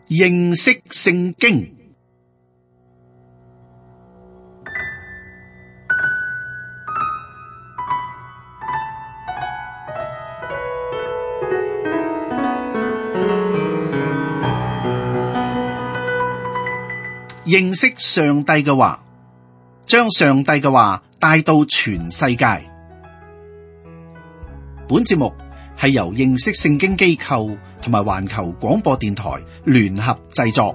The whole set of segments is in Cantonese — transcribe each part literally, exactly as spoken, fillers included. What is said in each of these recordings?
認識聖經。認識上帝嘅話，將上帝嘅話帶到全世界。本節目係由認識聖經機構同埋環球廣播電台聯合製作。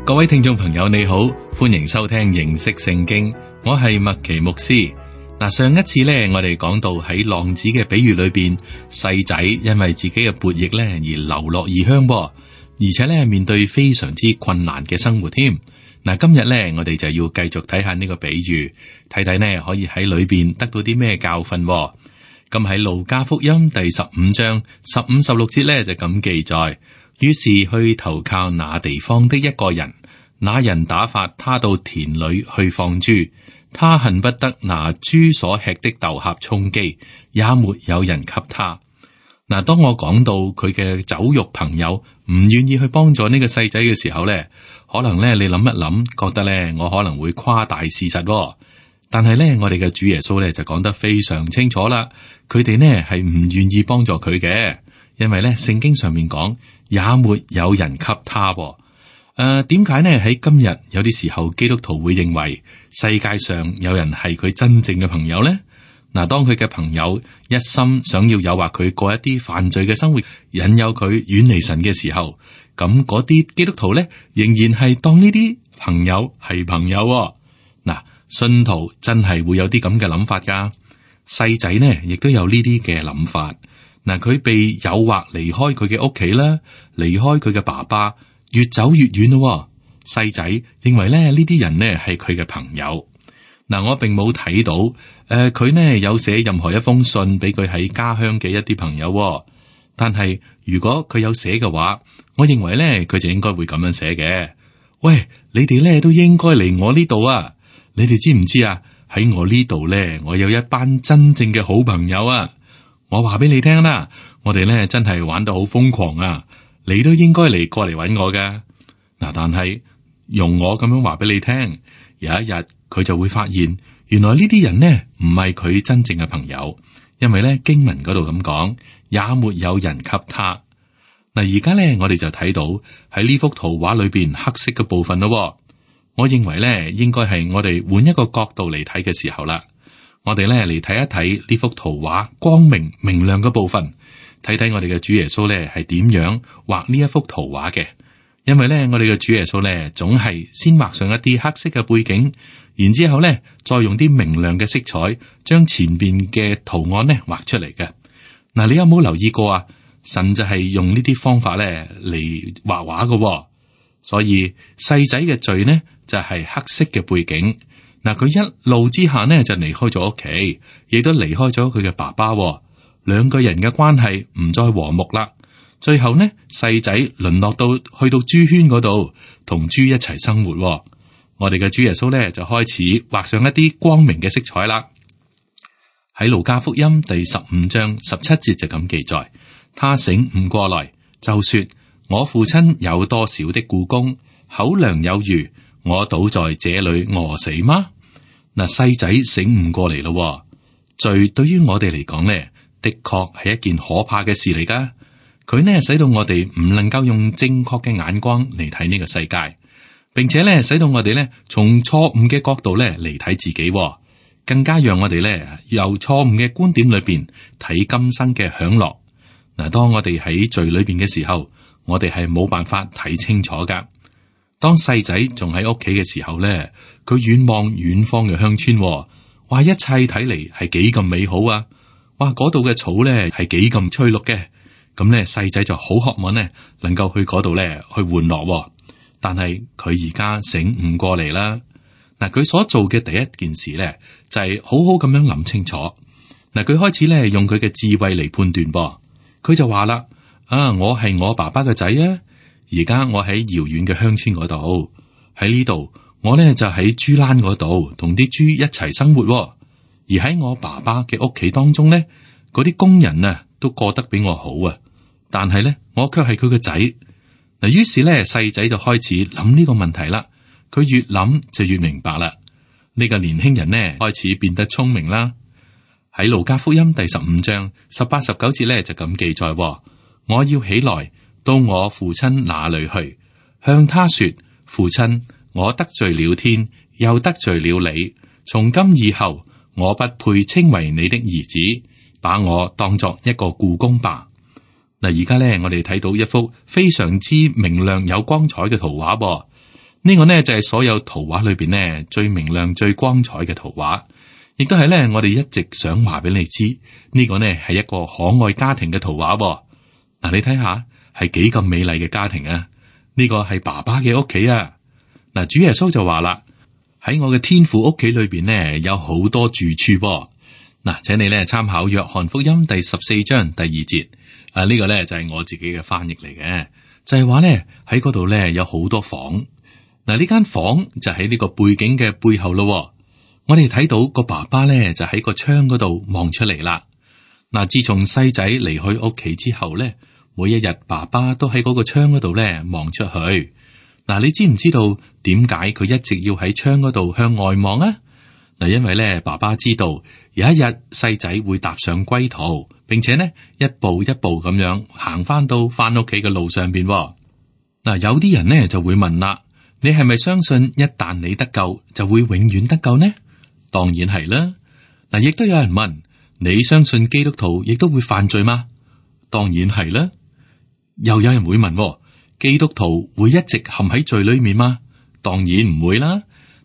各位聽眾朋友，你好，歡迎收聽認識聖經，我係麥奇牧師。嗱，上一次咧，我哋講到喺浪子嘅比喻裏邊，細仔因為自己嘅悖逆咧而流落異鄉，而且咧面對非常之困難嘅生活添。嗱，今日咧我哋就要繼續睇下呢個比喻，睇睇呢可以喺裏邊得到啲咩教訓。咁喺路加福音第十五章十五十六節咧就咁記載：於是去投靠那地方的一個人，那人打發他到田裏去放豬。他恨不得拿豬所吃的豆莢充飢，也沒有人給他。嗱，當我講到佢嘅酒肉朋友唔願意去幫助呢個細仔嘅時候咧，可能咧你諗一諗，覺得咧我可能會誇大事實。但係咧，我哋嘅主耶穌咧就講得非常清楚啦，佢哋呢係唔願意幫助佢嘅，因為咧聖經上面講，也沒有人給他。誒，點解呢？喺今日有啲時候，基督徒會認為世界上有人係佢真正嘅朋友呢？嗱，當佢嘅朋友一心想要誘惑佢過一啲犯罪嘅生活，引誘佢遠離神嘅時候，咁嗰啲基督徒呢，仍然係當呢啲朋友係朋友。嗱，信徒真係會有啲咁嘅諗法噶。細仔呢，亦都有呢啲嘅諗法。嗱，佢被誘惑離開佢嘅屋企啦，離開佢嘅爸爸。越走越遠咯，細仔認為咧呢啲人呢係佢嘅朋友。嗱，我並冇睇到誒，佢、呃、呢有寫任何一封信俾佢喺家鄉嘅一啲朋友。但係如果佢有寫嘅話，我認為咧佢就應該會咁樣寫嘅。喂，你哋咧都應該嚟我呢度啊！你哋知唔知啊？喺我呢度咧，我有一班真正嘅好朋友啊！我話俾你聽啦，我哋咧真係玩得好瘋狂啊！你都應該嚟過嚟揾我噶。嗱，但係用我咁樣話俾你聽，有一日佢就會發現，原來呢啲人呢唔係佢真正嘅朋友，因為咧經文嗰度咁講，也沒有人給他。嗱，而家咧我哋就睇到喺呢幅圖畫裏邊黑色嘅部分咯。我認為咧應該係我哋換一個角度嚟睇嘅時候啦。我哋咧嚟睇一睇呢幅圖畫光明明亮嘅部分。睇睇我哋嘅主耶穌咧係點樣畫呢一幅圖畫嘅，因為咧我哋嘅主耶穌咧總係先畫上一啲黑色嘅背景，然之後咧再用啲明亮嘅色彩將前邊嘅圖案咧畫出嚟嘅。嗱，你有冇留意過啊？神就係用呢啲方法咧嚟畫畫嘅，所以細仔嘅罪呢就係黑色嘅背景。嗱，佢一怒之下呢就離開咗屋企，亦都離開咗佢嘅爸爸。兩個人嘅關係唔再和睦啦，最後呢，細仔淪落到去到豬圈嗰度，同豬一齊生活。我哋嘅主耶穌呢，就開始畫上一啲光明嘅色彩啦。喺路加福音第十五章十七節就咁記載，他醒悟過來，就說：我父親有多少的僱工，口糧有餘，我倒在這裏餓死嗎？嗱，細仔醒悟過嚟咯，罪對於我哋嚟講呢，的確係一件可怕嘅事嚟噶，佢呢使到我哋唔能夠用正確嘅眼光嚟睇呢個世界，並且呢使到我哋呢從錯誤嘅角度呢嚟睇自己，更加讓我哋呢由錯誤嘅觀點裏邊睇今生嘅享樂。嗱，當我哋喺罪裏邊嘅時候，我哋係冇辦法睇清楚噶。當細仔仲喺屋企嘅時候呢，佢遠望遠方嘅鄉村，話一切睇嚟係幾咁美好啊！哇！嗰度嘅草咧係幾咁翠綠嘅，咁咧細仔就好渴望咧，能夠去嗰度咧去玩樂。但係佢而家醒悟過嚟啦。嗱，佢所做嘅第一件事咧，就係好好咁樣諗清楚。嗱，佢開始咧用佢嘅智慧嚟判斷噃。佢就話啦：啊，我係我爸爸嘅仔啊！而家我喺遙遠嘅鄉村嗰度，喺呢度我咧就喺豬欄嗰度同啲豬一齊生活。而喺我爸爸嘅屋企當中咧，嗰啲工人啊都過得比我好啊，但係咧我卻係佢個仔。嗱，於是咧細仔就開始諗呢個問題啦。佢越諗就越明白啦。呢個年輕人呢開始變得聰明啦。喺路加福音第十五章十八十九節咧就咁記載：我要起來到我父親那裏去，向他說：父親，我得罪了天，又得罪了你。從今以後，我不配稱為你的兒子，把我當作一個僱工吧。嗱，而家咧我哋睇到一幅非常之明亮有光彩嘅圖畫噃。呢個呢就係所有圖畫裏邊呢最明亮、最光彩嘅圖畫，亦都係咧我哋一直想話俾你知，呢個呢係一個可愛家庭嘅圖畫。嗱，你睇下係幾咁美麗嘅家庭啊！呢個係爸爸嘅屋企啊！嗱，主耶穌就話啦：喺我嘅天父屋企裏邊呢有好多住處噃。嗱，請你咧參考約翰福音第十四章第二節。啊，呢個咧就係我自己嘅翻譯嚟嘅，就係話咧喺嗰度咧有好多房。嗱，呢間房就喺呢個背景嘅背後咯。我哋睇到個爸爸咧就喺個窗嗰度望出嚟啦。嗱，自從細仔離開屋企之後咧，每一日爸爸都喺嗰個窗嗰度咧望出去。嗱，你知唔知道點解佢一直要喺窗嗰度向外望啊？嗱，因為咧爸爸知道有一日細仔會踏上歸途，並且呢一步一步咁樣行翻到翻屋企嘅路上邊。嗱，有啲人呢就會問啦：你係咪相信一旦你得救就會永遠得救呢？當然係啦。嗱，亦都有人問：你相信基督徒亦都會犯罪嗎？當然係啦。又有人會問：基督徒會一直陷喺罪裏面嗎？當然唔會啦。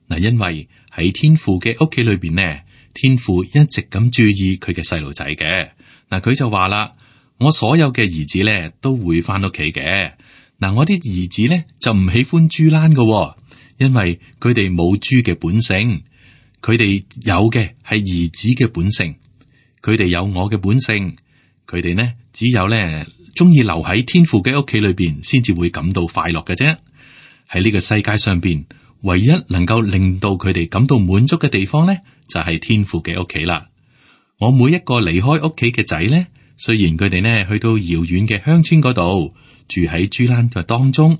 嗱，因為喺天父嘅屋企裏邊呢，天父一直咁注意佢嘅細路仔嘅。嗱，佢就話啦：我所有嘅兒子咧都會翻屋企嘅。嗱，我啲兒子咧就唔喜歡豬欄嘅，因為佢哋冇豬嘅本性，佢哋有嘅係兒子嘅本性。佢哋有我嘅本性，佢哋呢只有咧中意留喺天父嘅屋企裏邊，先至會感到快樂嘅啫。喺呢個世界上邊，唯一能夠令到佢哋感到滿足嘅地方咧，就係天父嘅屋企啦。我每一個離開屋企嘅仔咧，雖然佢哋呢去到遙遠嘅鄉村嗰度住喺豬欄嘅當中，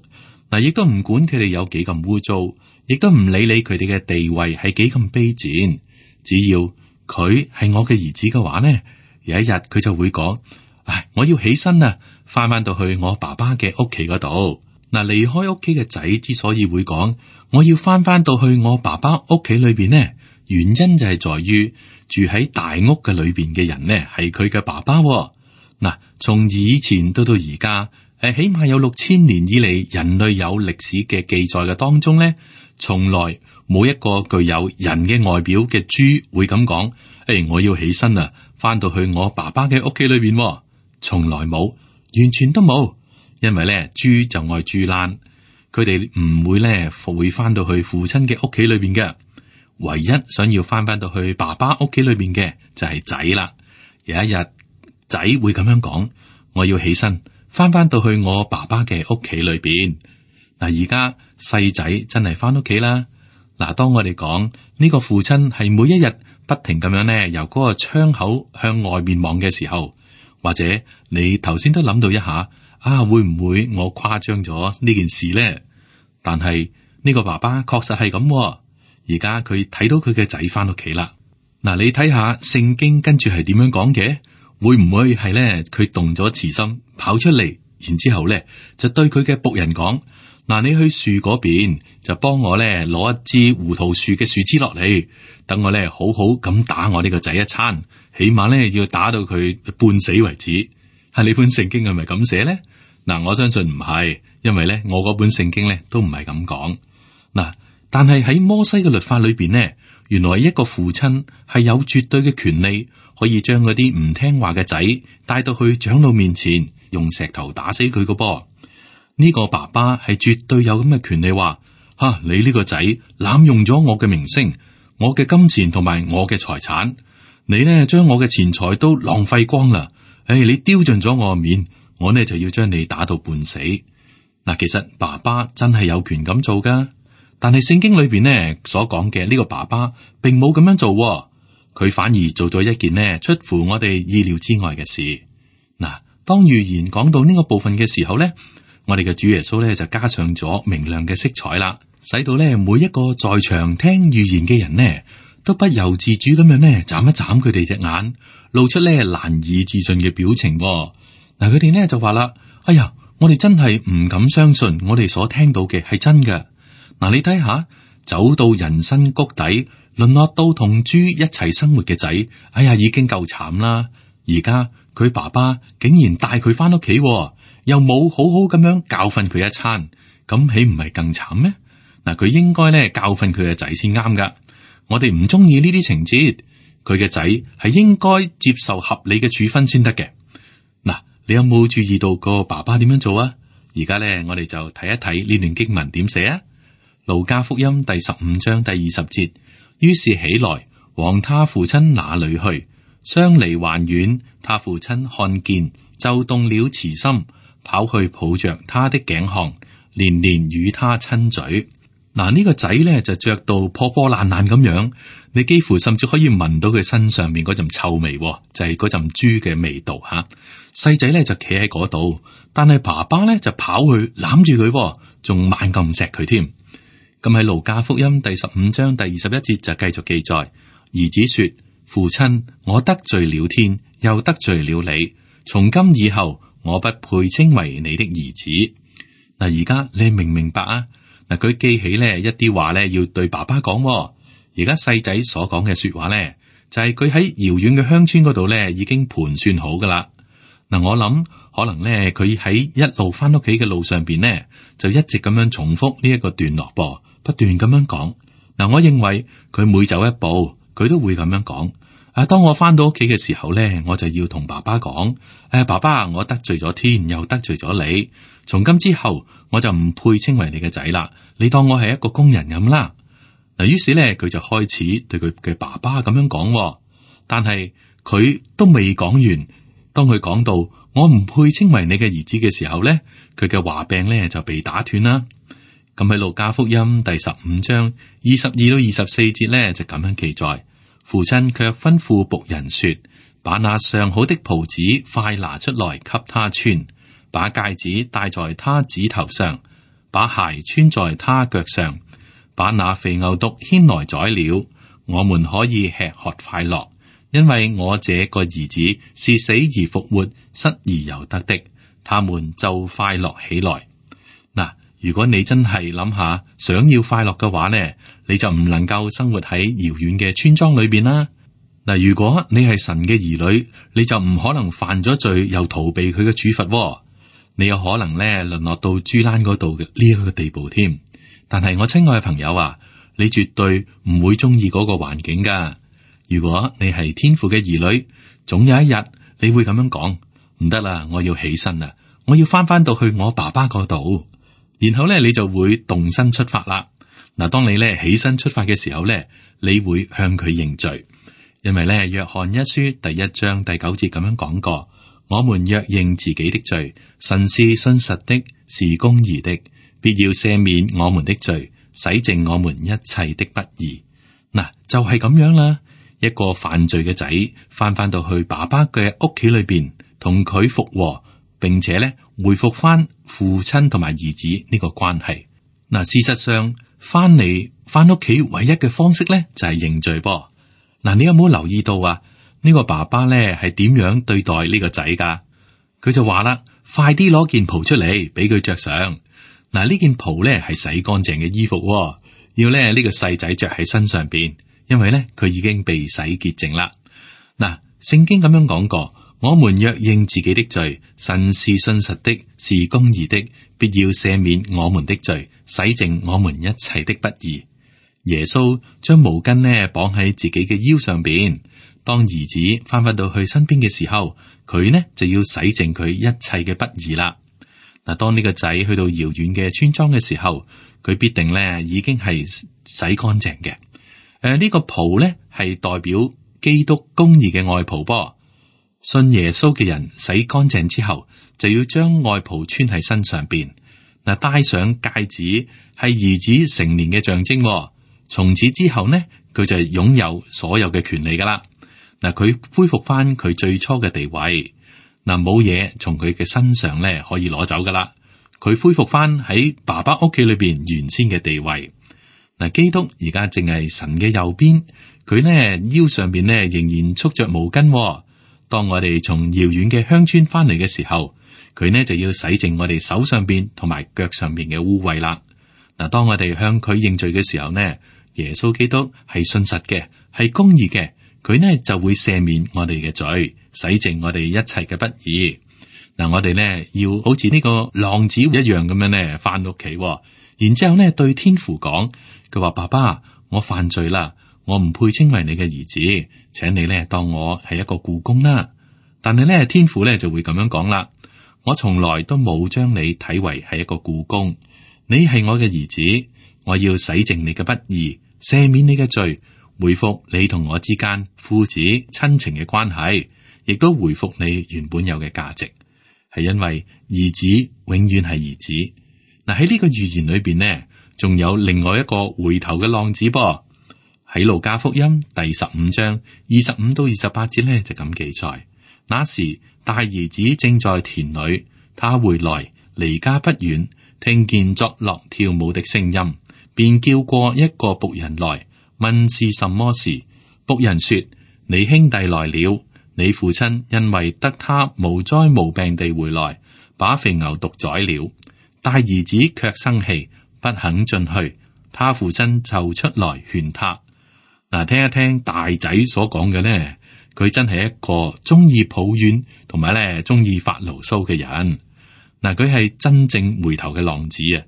嗱，亦都唔管佢哋有幾咁污糟，亦都唔理理佢哋嘅地位係幾咁卑賤。只要佢係我嘅兒子嘅話呢，有一日佢就會講：唉，我要起身啊，翻翻到去我爸爸嘅屋企嗰度。嗱，離開屋企嘅仔之所以會講我要翻翻到去我爸爸屋企裏邊呢，原因就係在於住喺大屋嘅裏邊嘅人呢係佢嘅爸爸。嗱，從以前到到而家，誒，起碼有六千年以嚟人類有歷史嘅記載嘅當中呢，從來冇一個具有人嘅外表嘅豬會咁講：誒，我要起身啊，翻到去我爸爸嘅屋企裏邊。從來冇，完全都冇。因為咧，豬就愛豬欄，佢哋唔會咧會翻到去父親嘅屋企裏邊嘅。唯一想要翻翻到去爸爸屋企裏邊嘅就係仔啦。有一日仔會咁樣講：我要起身翻翻到去我爸爸嘅屋企裏邊。嗱，而家細仔真係翻屋企啦。嗱，當我哋講呢個父親係每一日不停咁樣咧由嗰個窗口向外面望嘅時候，或者你頭先都諗到一下。啊，會唔會我誇張咗呢件事咧？但係呢個爸爸確實係咁，而家佢睇到佢嘅仔翻屋企啦。嗱，你睇下聖經跟住係點樣講嘅？會唔會係咧？佢動咗慈心跑出嚟，然之後咧就對佢嘅僕人講：嗱，你去樹嗰邊就幫我咧攞一支胡桃樹嘅樹枝落嚟，等我咧好好咁打我呢個仔一餐，起碼咧要打到佢半死為止。係你本聖經係咪咁寫咧？嗱，我相信唔係，因為咧我嗰本聖經咧都唔係咁講。嗱，但係喺摩西嘅律法裏邊呢，原來一個父親係有絕對嘅權利，可以將嗰啲唔聽話嘅仔帶到去長老面前，用石頭打死佢個噃。呢個爸爸係絕對有咁嘅權利，話吓你呢個仔濫用咗我嘅名聲、我嘅金錢同埋我嘅財產，你呢將我嘅錢財都浪費光啦。誒，你丟盡咗我嘅面。我呢就要將你打到半死。嗱，其實爸爸真係有權咁做噶，但係聖經裏邊呢所講嘅呢個爸爸並冇咁樣做。佢反而做咗一件呢出乎我哋意料之外嘅事。嗱，當預言講到呢個部分嘅時候咧，我哋嘅主耶穌咧就加上咗明亮嘅色彩啦，使到咧每一個在場聽預言嘅人呢，都不由自主咁樣呢眨一眨佢哋隻眼，露出咧難以置信嘅表情。嗱，佢哋呢就話啦：哎呀，我哋真係唔敢相信，我哋所聽到嘅係真嘅。嗱，你睇下，走到人生谷底，淪落到同豬一齊生活嘅仔，哎呀，已經夠慘啦。而家佢爸爸竟然帶佢翻屋企，又冇好好咁樣教訓佢一餐，咁豈唔係更慘咩？嗱，佢應該咧教訓佢嘅仔先啱噶。我哋唔中意呢啲情節，佢嘅仔係應該接受合理嘅處分先得嘅。嗱，你有冇注意到個爸爸點樣做啊？而家咧，我哋就睇一睇呢段經文點寫啊。路加福音第十五章第二十節，於是起來往他父親那裏去，相離還遠，他父親看見就動了慈心，跑去抱着他的頸項，連連與他親嘴。嗱，呢個仔咧就着到破破爛爛咁樣，你幾乎甚至可以聞到佢身上面嗰陣臭味，就係嗰陣豬嘅味道吓。細仔咧就企喺嗰度，但係爸爸咧就跑去攬住佢，仲猛咁錫佢添。咁喺路加福音第十五章第二十一節就繼續記載，兒子說：父親，我得罪了天，又得罪了你，從今以後我不配稱為你的兒子。嗱，而家你明唔明白啊？嗱，佢記起咧一啲話咧要對爸爸講。而家細仔所講嘅說話咧，就係佢喺遙遠嘅鄉村嗰度咧已經盤算好噶啦。嗱，我諗可能咧佢喺一路翻屋企嘅路上邊呢，就一直咁樣重複呢一個段落噃。不斷咁樣講，嗱，我認為佢每走一步，佢都會咁樣講。啊，當我翻到屋企嘅時候咧，我就要同爸爸講：誒，爸爸，我得罪咗天，又得罪咗你，從今之後我就唔配稱為你嘅仔啦。你當我係一個工人咁啦。嗱，於是咧，佢就開始對佢嘅爸爸咁樣講，但係佢都未講完。當佢講到我唔配稱為你嘅兒子嘅時候咧，佢嘅話柄咧就被打斷啦。咁喺路加福音第十五章二十二到二十四節咧，就咁樣記載：父親卻吩咐僕人說，把那上好的袍子快拿出來給他穿，把戒指戴在他指頭上，把鞋穿在他腳上，把那肥牛犢牽來宰了，我們可以吃喝快樂，因為我這個兒子是死而復活，失而又得的，他們就快樂起來。嗱，如果你真係諗下想要快樂嘅話呢，你就唔能夠生活喺遙遠嘅村莊裏邊啦。嗱，如果你係神嘅兒女，你就唔可能犯咗罪又逃避佢嘅處罰。你有可能咧淪落到豬欄嗰度嘅呢一個地步添。但係我親愛嘅朋友啊，你絕對唔會中意嗰個環境噶。如果你係天父嘅兒女，總有一日你會咁樣講：唔得啦，我要起身啦，我要翻翻到去我爸爸嗰度。然後咧，你就會動身出發啦。嗱，當你咧起身出發嘅時候咧，你會向佢認罪，因為咧約翰一書第一章第九節咁樣講過：我們若認自己的罪，神是信實的，是公義的，必要赦免我們的罪，洗淨我們一切的不義。嗱，就係咁樣啦。一個犯罪嘅仔翻翻到去爸爸嘅屋企裏邊，同佢復和，並且咧回復翻父親同埋兒子呢個關係。嗱，事實上翻嚟翻屋企唯一嘅方式咧就係認罪噃。嗱，你有冇留意到啊？呢個爸爸咧係點樣對待呢個仔噶？佢就話啦：快啲攞件袍出嚟俾佢着上。嗱，呢件袍咧係洗乾淨嘅衣服，要咧呢個細仔着喺身上邊。因為咧，佢已經被洗潔淨啦。嗱，聖經咁樣講過：我們若認自己的罪，神是信實的，是公義的，必要赦免我們的罪，洗淨我們一切的不義。耶穌將毛巾呢綁喺自己嘅腰上邊，當兒子翻返到去身邊嘅時候，佢呢就要洗淨佢一切嘅不義啦。嗱，當呢個仔去到遙遠嘅村莊嘅時候，佢必定咧已經係洗乾淨嘅。誒，呃這個、呢個袍咧係代表基督公義嘅外袍噃。信耶穌嘅人洗乾淨之後，就要將外袍穿喺身上邊。嗱，戴上戒指係兒子成年嘅象徵。從此之後呢，佢就係擁有所有嘅權利噶啦。嗱，佢恢復翻佢最初嘅地位，嗱，冇嘢從佢嘅身上咧可以攞走噶啦。佢恢復翻喺爸爸屋企裏邊原先嘅地位。嗱，基督而家正係神嘅右邊，佢呢腰上邊呢仍然束着毛巾。當我哋從遙遠嘅鄉村翻嚟嘅時候，佢呢就要洗淨我哋手上邊同埋腳上邊嘅污穢啦。嗱，當我哋向佢認罪嘅時候呢，耶穌基督係信實嘅，係公義嘅，佢呢就會赦免我哋嘅罪，洗淨我哋一切嘅不義。嗱，我哋呢要好似呢個浪子一樣咁樣呢翻屋企，然之後呢對天父講，佢話：爸爸，我犯罪啦，我唔配稱為你嘅兒子，請你呢當我係一個僱工啦。但係呢天父呢就會咁樣講啦：我從來都冇將你睇為係一個僱工，你係我嘅兒子，我要洗淨你嘅不義，赦免你嘅罪，回復你同我之間父子親情嘅關係，亦都回復你原本有嘅價值。係因為兒子永遠係兒子。嗱，喺呢個預言裏邊呢，仲有另外一個回頭嘅浪子噃。喺路加福音第十五章二十五到二十八節呢，就咁記載：那時大兒子正在田裏，他回來離家不遠，聽見作樂跳舞的聲音，便叫過一個僕人來問是什麼事。僕人說：你兄弟來了，你父親因為得他無災無病地回來，把肥牛犢宰了。大兒子卻生氣，不肯進去。他父親就出來勸他。嗱，聽一聽大仔所講嘅呢，佢真係一個中意抱怨同埋咧中意發牢騷嘅人。嗱，佢係真正回頭嘅浪子啊！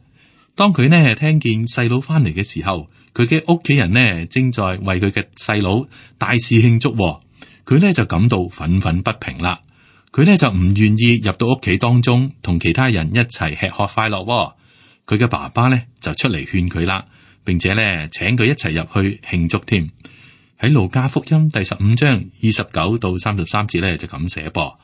當佢呢聽見細佬翻嚟嘅時候，佢嘅屋企人呢正在為佢嘅細佬大肆慶祝，佢呢就感到憤憤不平啦。佢呢就唔願意入到屋企當中同其他人一齊吃喝快樂。佢嘅爸爸呢就出嚟勸佢啦，並且呢請佢一齊入去慶祝添。喺路加福音第十五章二十九到三十三節呢就咁寫噃。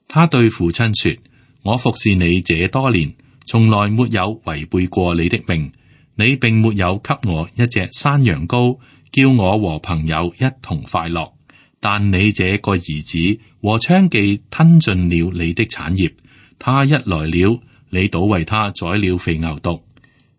他對父親說：我服侍你這多年，從來沒有違背過你的命，你並沒有給我一隻山羊羔，叫我和朋友一同快樂。但你這個兒子和娼妓吞盡了你的產業，他一來了，你倒為他宰了肥牛犢。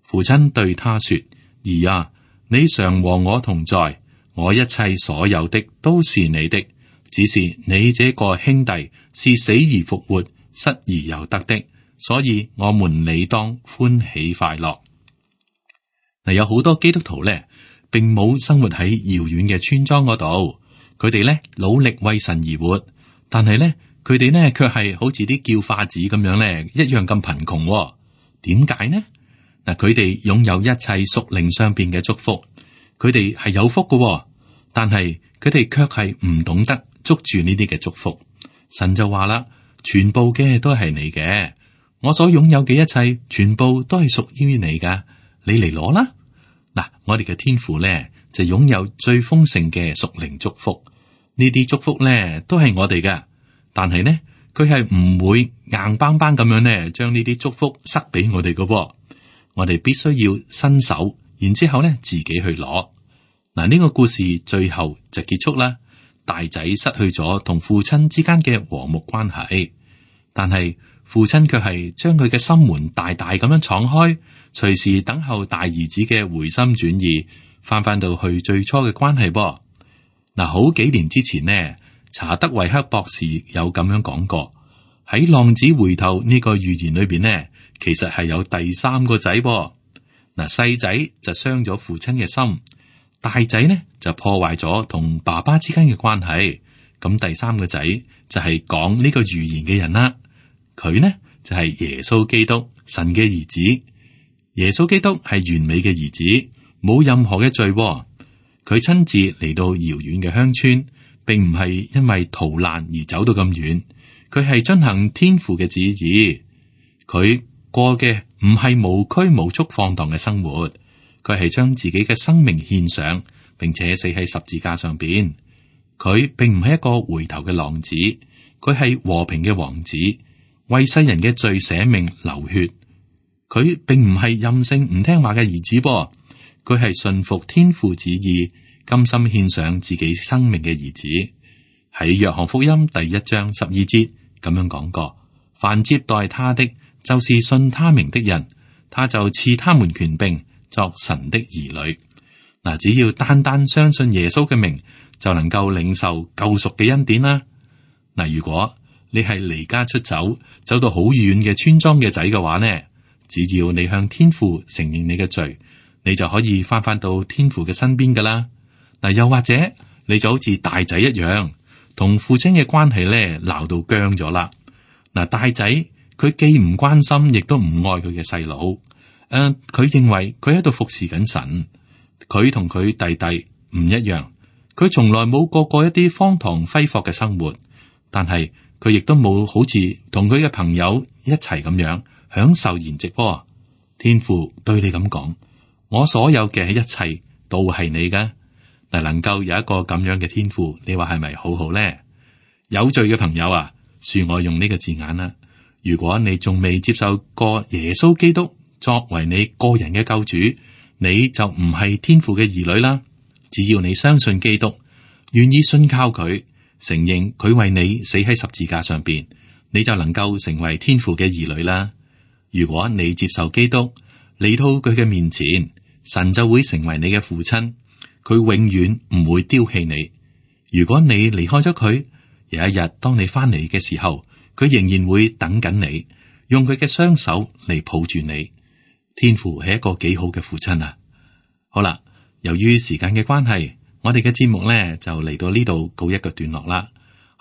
父親對他說：兒啊，你常和我同在，我一切所有的都是你的，只是你這個兄弟是死而復活，失而又得的，所以我們理當歡喜快樂。嗱，有好多基督徒咧，並冇生活喺遙遠嘅村莊嗰度。佢哋咧努力為神而活，但係咧佢哋呢卻係好似啲叫化子咁樣咧，一樣咁貧窮。點解呢？嗱，佢哋擁有一切屬靈上邊嘅祝福，佢哋係有福嘅，但係佢哋卻係唔懂得捉住呢啲嘅祝福。神就話啦：全部嘅都係你嘅，我所擁有嘅一切，全部都係屬於你噶，你嚟攞啦。嗱，我哋嘅天父咧就擁有最豐盛嘅屬靈祝福。呢啲祝福咧都係我哋嘅，但係呢佢係唔會硬邦邦咁樣咧將呢啲祝福塞俾我哋嘅。我哋必須要伸手，然之後咧自己去攞。嗱，呢個故事最後就結束啦。大仔失去咗同父親之間嘅和睦關係，但係父親卻係將佢嘅心門大大咁樣敞開，隨時等候大兒子嘅回心轉意，翻翻到去最初嘅關係噃。嗱，好幾年之前呢，查德維克博士有咁樣講過，喺浪子回頭呢個預言裏邊呢，其實係有第三個仔噃。嗱，細仔就傷咗父親嘅心，大仔呢就破壞咗同爸爸之間嘅關係。咁第三個仔就係講呢個預言嘅人啦，佢呢就係耶穌基督，神嘅兒子。耶穌基督係完美嘅兒子，冇任何嘅罪喎。佢親自嚟到遙遠嘅鄉村，並唔係因為逃難而走到咁遠，佢係遵行天父嘅旨意。佢過嘅唔係無拘無束放蕩嘅生活，佢係將自己嘅生命獻上，並且死喺十字架上邊。佢並唔係一個回頭嘅浪子，佢係和平嘅王子，為世人嘅罪捨命流血。佢並唔係任性唔聽話嘅兒子噃。佢係順服天父旨意，甘心獻上自己生命嘅兒子。喺約翰福音第一章十二節咁樣講過：凡接待他的，就是信他名的人，他就賜他們權柄作神的兒女。嗱，只要單單相信耶穌嘅名，就能夠領受救贖嘅恩典啦。嗱，如果你係離家出走，走到好遠嘅村莊嘅仔嘅話呢，只要你向天父承認你嘅罪，你就可以翻返到天父嘅身邊噶啦。嗱，又或者你就好似大仔一樣，同父親嘅關係咧鬧到僵咗啦。嗱，大仔佢既唔關心，亦都唔愛佢嘅細佬。誒、呃，佢認為佢喺度服侍緊神。佢同佢弟弟唔一樣，佢從來冇過過一啲荒唐揮霍嘅生活，但係佢亦都冇好似同佢嘅朋友一齊咁樣享受筵席。天父對你咁講：我所有嘅一切都係你噶。嗱，能夠有一個咁樣嘅天父，你話係咪好好咧？有罪嘅朋友啊，恕我用呢個字眼啦。如果你仲未接受過耶穌基督作為你個人嘅救主，你就唔係天父嘅兒女啦。只要你相信基督，願意信靠佢，承認佢為你死喺十字架上邊，你就能夠成為天父嘅兒女啦。如果你接受基督，嚟到佢嘅面前，神就會成為你嘅父親，佢永遠唔會丟棄你。如果你離開咗佢，有一日當你翻嚟嘅時候，佢仍然會等緊你，用佢嘅雙手嚟抱住你。天父係一個幾好嘅父親啊！好啦，由於時間嘅關係，我哋嘅節目呢就嚟到呢度告一個段落啦。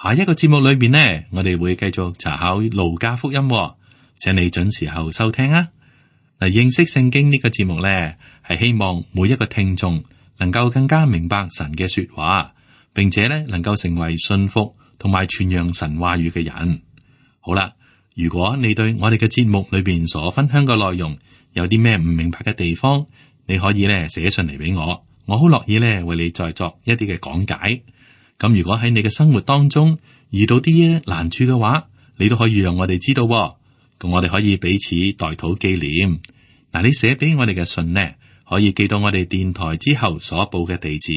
下一個節目裏邊呢，我哋會繼續查考路加福音，請你準時候收聽啊！嗱，認識聖經呢個節目呢，係希望每一個聽眾能夠更加明白神嘅說話，並且呢能夠成為信服同埋傳揚神話語嘅人。好啦，如果你對我哋嘅節目裏邊所分享嘅內容有啲咩唔明白嘅地方，你可以咧寫信嚟俾我，我好樂意咧為你再作一啲嘅講解。咁如果喺你嘅生活當中遇到啲難處嘅話，你都可以讓我哋知道，咁我哋可以彼此代禱紀念。嗱，你寫俾我哋嘅信呢，可以寄到我哋電台之後所報嘅地址，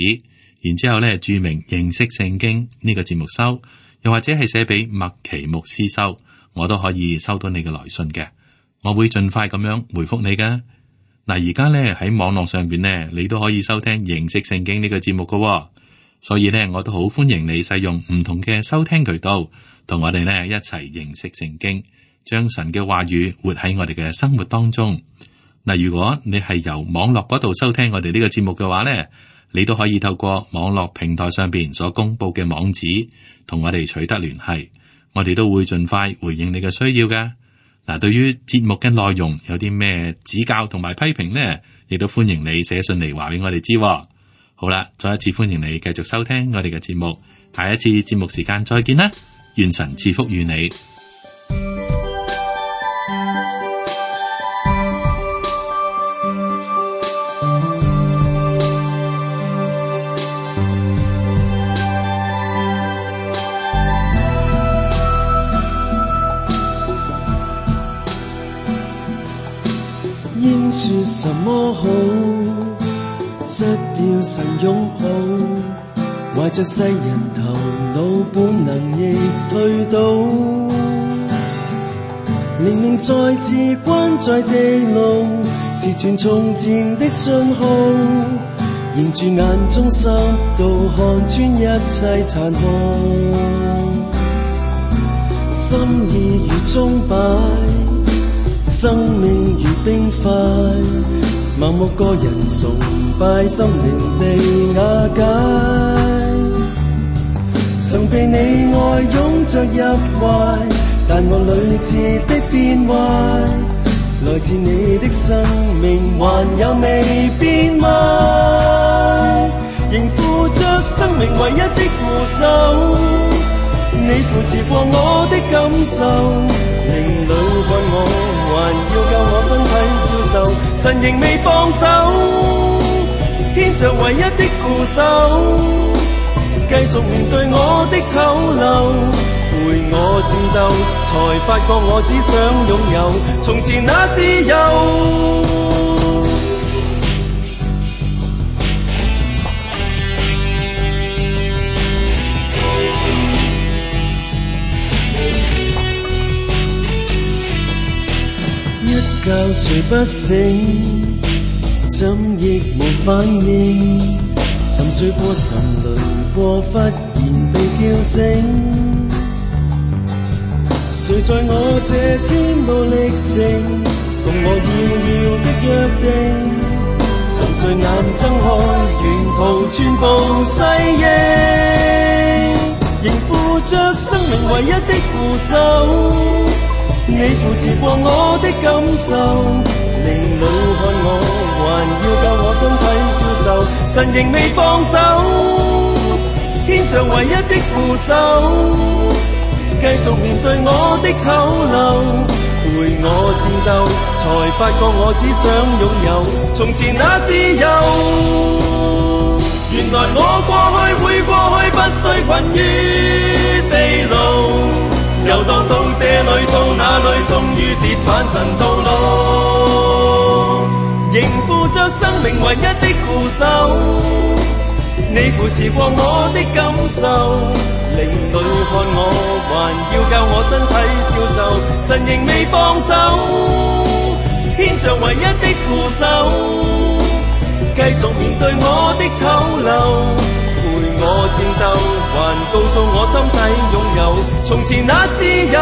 然之後咧注明認識聖經呢個節目收，又或者係寫俾麥奇牧師收，我都可以收到你嘅來信嘅。我會盡快咁樣回覆你噶。嗱，而家咧喺網絡上邊咧，你都可以收聽認識聖經呢個節目噶喎，所以咧我都好歡迎你使用唔同嘅收聽渠道，同我哋咧一齊認識聖經，將神嘅話語活喺我哋嘅生活當中。嗱，如果你係由網絡嗰度收聽我哋呢個節目嘅話咧，你都可以透過網絡平台上邊所公布嘅網址，同我哋取得聯繫，我哋都會盡快回應你嘅需要噶。嗱，對於節目嘅內容有啲咩指教同埋批評呢，亦都歡迎你寫信嚟話俾我哋知。好啦，再一次歡迎你繼續收聽我哋嘅節目，下一次節目時間再見啦，願神賜福與你。應說什麼好？失掉神擁抱，懷着世人頭腦本能亦退倒，靈命再次關在地牢，截斷從前的信號，凝住眼中濕度，看穿一切殘酷，心意如鐘擺，生命如冰塊，盲目個人崇拜，心靈被瓦解。曾被你愛擁着入懷，但我屢次的變壞，來自你的生命還有未變賣，仍負着生命唯一的護守，你扶持過我的感受，靈裏看我，還要救我身體消受，神仍未放手，牽着唯一的扶手，繼續面對我的醜陋，陪我戰鬥，才發覺我只想擁有從前那自由。覺睡不醒，怎亦無反應，沉睡過沉淪過，忽然被叫醒。誰在我這天路歷程，共我遙遙的約定？沉睡眼睜開，沿途全部細應，仍負着生命唯一的扶手。你扶持過我的感受，離裏看我，還要教我身體消受。神仍未放手，獻上唯一的扶手，繼續面對我的醜陋，陪我戰鬥，才發覺我只想擁有從前那自由。原來我過去會過去，不需困於地牢，遊蕩到這裏到那裏，終於折返神道路，仍負着生命唯一的扶手。你扶持過我的感受，靈裏看我，還要教我身體消受。神仍未放手，獻上唯一的扶手，繼續面對我的醜陋，陪我戰鬥，還告訴我心底擁有從前那自由。